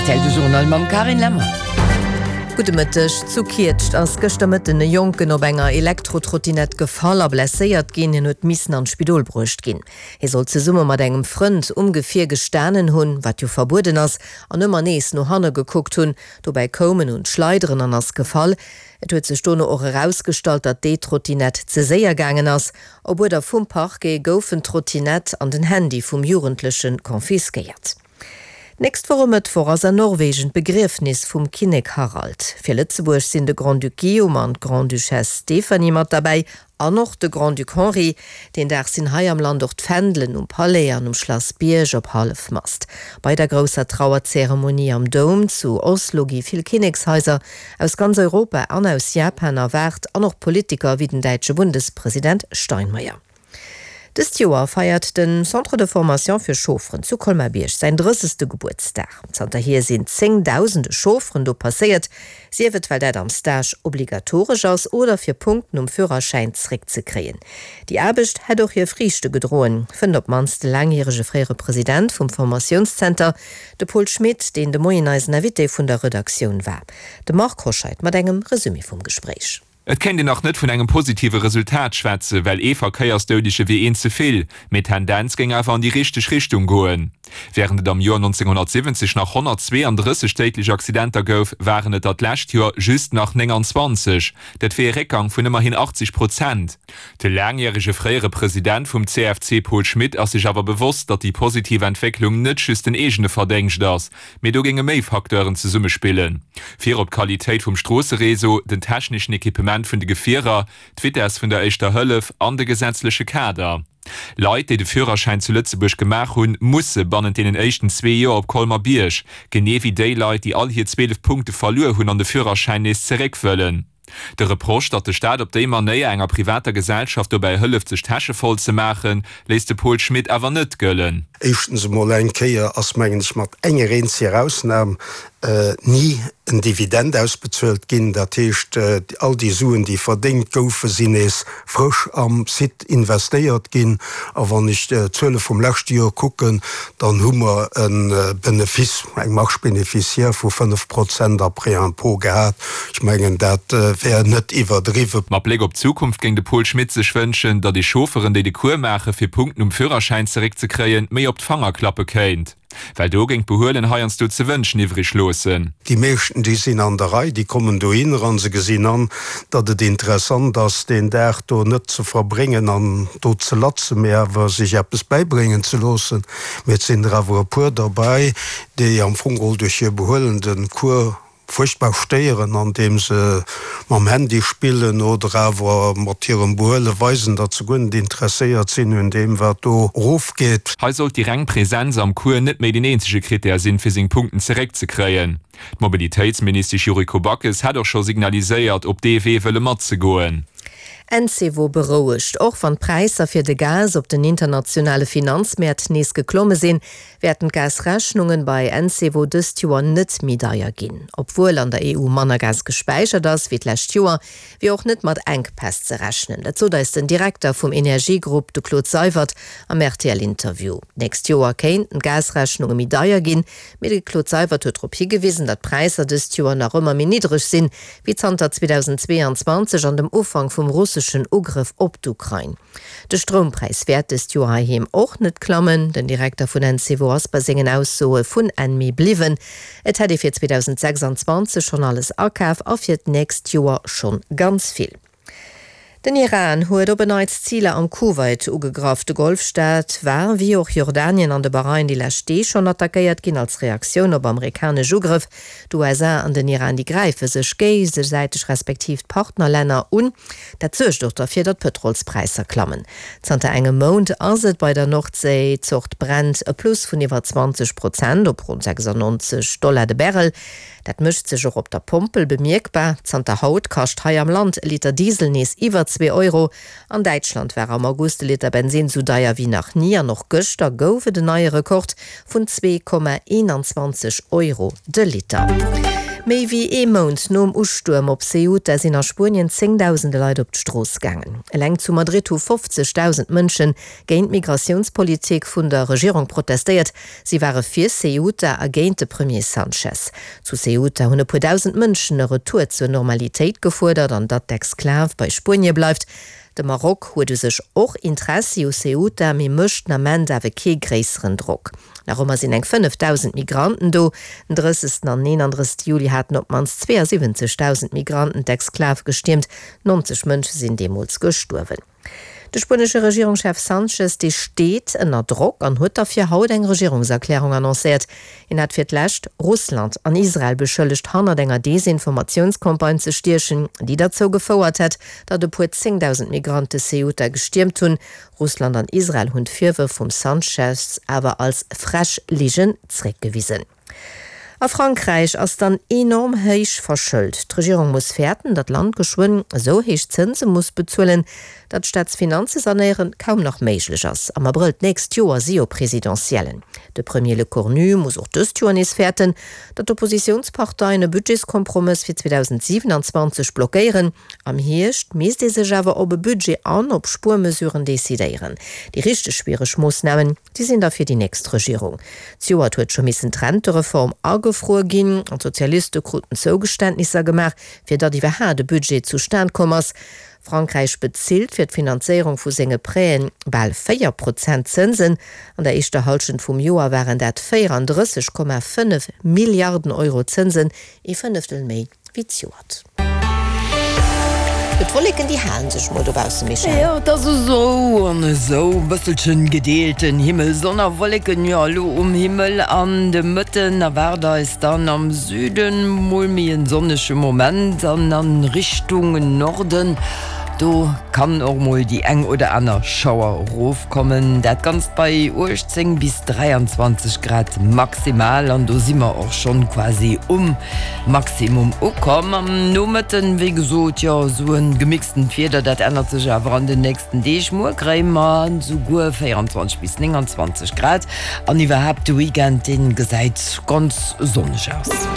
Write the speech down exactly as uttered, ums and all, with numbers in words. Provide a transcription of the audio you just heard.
Rtl, de Journal mam Carine Lemmer. Gudde Mëtteg. Zu Kietscht ass gëschter Mëtten e Jonken op enger Elektrotrottinett gefall a blesséiert ginn. Hien huet missen an d'Spidol bruecht ginn. Hie soll zesumme mat engem Frënd um Gefier gestanen hunn, wat jo verbueden ass, an ëmmer nees no hanne gekuckt hunn. Dobäi koum en un d'Schleideren an ass gefall. Et huet sech dono och erausgestallt, datt déi Trottinett ze séier gaangen ass. Op Uerder vum Parquet goufen d'Trottinett an den Handy vum Jugendleche confisquéiert. D'nächst Woch e Mëttwoch ass an Norwegen d'Begriefnis vum Kinnek Harald. Fir Lëtzebuerg sinn de Grand-Duc Guillaume an d'Grande-Duchesse Stéphanie mat derbäi an och de Grand-Duc Henri. Deen Dag sinn hei am Land och d'Fändelen um Palais an um Schlass Bierg op Hallefmast. Bei der grousser Trauerzeremonie am Doum zu Oslo gi vill Kinnekshaiser aus ganz Europa an aus Japan erwaart an och Politiker wéi den däitsche Bundespresident Steinmeier. Dëst Joer feiert de Centre de Formation fir Chaufferen zu Colmar-Bierg säin drëssegste Gebuertsdag. Zanterhier sinn zéngdausende Chaufferen do passéiert, sief et well dat am Stage obligatoresch ass oder fir Punkten um Führerschäin zeréckzekréien. Déi Aarbecht hätt och hir Friichte gedroen, fënnt op d'mannst de laangjärege fréiere President vum Formatiounszenter, de Paul Schmit, deen de Moien eisen Invité vun der Redaktioun war. De Marc Hoscheid mat engem Resumé vum Gespréich. Et kéint een nach net vun engem positive Resultat schwätzen, well ee Verkéiersdoudege wier een ze vill, mee d'Tendenz géing awer an déi richteg Richtung goen. Wärend et am Joer nonzénghonnertsiwwenzeg nach honnertzweeandrësseg déidlech Accidenter gouf, waren et der d'lescht Joer just nach nénganzwanzeg. Dat wier ee Réckgang vun ëmmerhin achtzeg Prozent. De laangjärege fréiere President vum C F C Paul Schmit ass sech awer bewosst, datt déi positiv Entwécklung net just den eegene Verdéngscht ass, mee do géinge méi Facteuren zesummespillen. Virop d'Qualitéit vum Stroossereseau, den techneschen Equipement vun de Gefierer, d'Vitess vun der Éischter Hëllef an de gesetzleche Kader. Leit, déi de Führerschäin zu Lëtzebuerg gemaach hunn, musse bannent deenen éischten zwee Joer op Colmer-Bierg, genee wéi déi Leit, déi all hir zwielef Punkte verluer hunn an de Führerschäin nees zeréck wëllen. De Reproche, datt de Staat op déi Manéier enger privater Gesellschaft dobäi hëlleft sech d'Täsche voll ze maachen, léisst de Paul Schmit awer net gëllen. Éischtens emol eng Kéier ass, mengen ech, mat enger eenzeger Ausnam ni en Dividend ausbezuelt ginn. Dat heescht, all déi Suen, déi verdéngt goufen, sinn nees frësch am Site investéiert ginn. A wann ech d'Zuele vum leschte Joer kucken, dann hu mer e Benefice, eng Marge bénéficiaire vu fënnef Prozent après impôt gehat. Ech mengen, dat wär net iwwerdriwwen. Mat Bléck op d'Zukunft géing de Paul Schmit sech wënschen, datt ee Chaufferen, déi de Cours maache fir Punkten um Führerschäin zeréckzekréien, méi op d'Fanger klappe kéint. Well do géing d'Behuelen heiansdo ze wënschen iwwreg loossen. Déi meeschten, déi sinn an der Rei, déi kommen dohinner a se gesinn an, datt et interessant ass, deen Dag do net ze verbréngen an do ze latzen, mee awer sech eppes bäibréngen ze loossen. Mee et sinn der awer e puer derbäi, déi am Fong geholl duerch hir Behuelen de Cours fuerchtbar stéieren, andeem se mam Handy spillen oder awer mat hirem Behuele weisen, datt se guer net interesséiert sinn un deem, wat do erofgeet. Hei sollt déi reng Präsenz am Cours net méi den eenzege Krittär sinn, fir seng Punkten zeréckzekréien. D'Mobilitéitsministesch Yuriko Backes hätt och scho signaliséiert, op dee Wee wëlle matzegoen. Encevo berouegt, Och wann d'Präisser fir de Gas op den internationale Finanzmäert nees geklomme sinn, wäerten d'Gasrechnungen bei Encevo dëst Joer net méi deier ginn. Obwuel an der E U manner Gas gespäichert ass wéi d'lescht Joer, wier och net mat Enkpäss ze rechnen. Dat sot eis den Direkter vum Energiegrupp, de Claude Seywert, am R T L-Interview. D'nächst Joer kéinten d'Gasrechnunge méi deier ginn, mee de Claude Seywert huet drop higewisen, datt d'Präisser dëst Joer nach ëmmer méi niddreg sinn, wéi zanter zweedausendzweeanzwanzeg an dem Ufank vum russeschen Ugrëff op d'Ukrain. De Stroumpräis wäert dëst Joer heiheem och net klammen. Den Direkter vun Encevo ass bei sengen Aussoe vun Enn Mee bliwwen. Et hätt ee fir zweedausendsechsanzwanzeg schonn alles akaf a fir d'nächst Joer schonn ganz vill. Den Iran huet op en Neits Ziler am Kuwait ugegraff. De Golfstaat war, wéi och Jordanien an de Bahrain, déi lescht Deeg schonn attackéiert ginn als Reaktioun op amerikanesch Ugrëff. D'U S A an den Iran, déi gräife sech géigesäiteg respektiv d'Partnerlänner un. Dat suergt och derfir, datt d'Pëtrolspräisser klammen. Zanter engem Mount ass et bei der Nordséi-Zort Brent e Plus vun iwwer zwanzeg Prozent op ronn sechsannonzeg Dollar de Barrel. Dat mécht sech och op der Pompel bemierkbar. Zanter haut kascht hei am Land e Liter Diesel nees iwwer zwee Euro. An Däitschland war am August de Liter Bensinn sou deier wéi nach ni an och gëschter gouf et en neie Rekord vun zwee Komma eenanzwanzeg Euro de Liter. Méi wéi ee Mount nom Ustuerm op Ceuta sinn a Spuenien zéngdausende Leit op d'Strooss gaangen. Eleng zu Madrid hu fofzegdausend Mënsche géint d'Migratiounspolitik vun der Regierung protestéiert. Si ware fir Ceuta a géint de Premier Sanchez. Zu Ceuta hunn e puer dausend Mënschen e Retour zur Normalitéit gefuerdert an datt d'Exklav bei Spuenie bleift. De Maroc huet u sech och Interessi u Ceuta, mee mécht den Ament awer kee gréisseren Drock. Nach ëmmer sinn eng fënnefdausend Migranten do. Den drëssegsten an eenandrëssegste Juli haten op d'mannst zweeënsiwwenzegdausend Migranten d'Exklav gestiermt. Nonzeg Mënsche sinn deemools gestuerwen. De spuenesche Regierungschef Sanchez, dee steet ënner Drock an huet derfir haut eng Regierungserklärung annoncéiert. Hien hat fir d'lescht Russland an Israel beschëllegt, hannert enger Desinformatiounscampagne ze stiechen, déi derzou gefouert hätt, datt e puer zéngdausend Migrante Ceuta gestiermt hunn. Russland an Israel hunn d'Virwërf vum Sanchez awer als frech Ligen zeréckgewisen. A Frankräich ass dann enorm héich verschëlt. D'Regierung muss fäerten, datt d'Land geschwënn esou héich Zënse muss bezuelen, datt d'Staatsfinanze sanéieren kaum nach méiglech ass. Am Abrëll d'nächst Joer si jo Presidentiellen. De Premier Lecornu muss och dëst Joer nees fäerten, datt d'Oppositiounsparteien e Budgetskompromëss fir zweedausendsiwenanzwanzeg blockéieren. Am Hierscht misst ee sech awer op e Budget an op Spuermesuren decidéieren. Déi richteg schwiereg Moossnamen, déi sinn da fir déi nächst Regierung. Zejoert huet scho missen d'Rentereform agefruer ginn an d'Sozialiste kruten Zougeständnisser gemaach, fir datt iwwerhaat e Budget zustan komm ass. Frankräich bezilt fir d'Finanzéierung vu senge Prêten bal véier Prozent Zënsen. An der éischter Hallschent vum Joer waren dat véierandrësseg Komma fënnef Milliarden Euro Zënsen, ee Fënneftel méi wéi zejoert. D'Wolleken déi halen sech mol dobaussen, Michèle. Jo, et ass esou an esou, e bësselchen gedeelten Himmel, Sonn a Wolleken, jo elo um Himmel. An de Mëtten erwaart eis dann am Süden mol méi en sonnege Moment an a Richtung Norden do kann och mol déi eng oder aner Schauer rofkommen. Dat Ganzt bei uechtzéng bis dräianzwanzeg Grad maximal an do si mer och schonn quasi um Maximum ukomm. Am Nomëtten, wéi gesot, jo esou e gemixtent Wieder, dat ännert sech awer an den nächsten Deeg. Muer kréie mer esouguer véierundzwanzeg bis nénganzwanzeg Grad an iwwerhaapt de Weekend, dee gesäit ganz sonneg aus.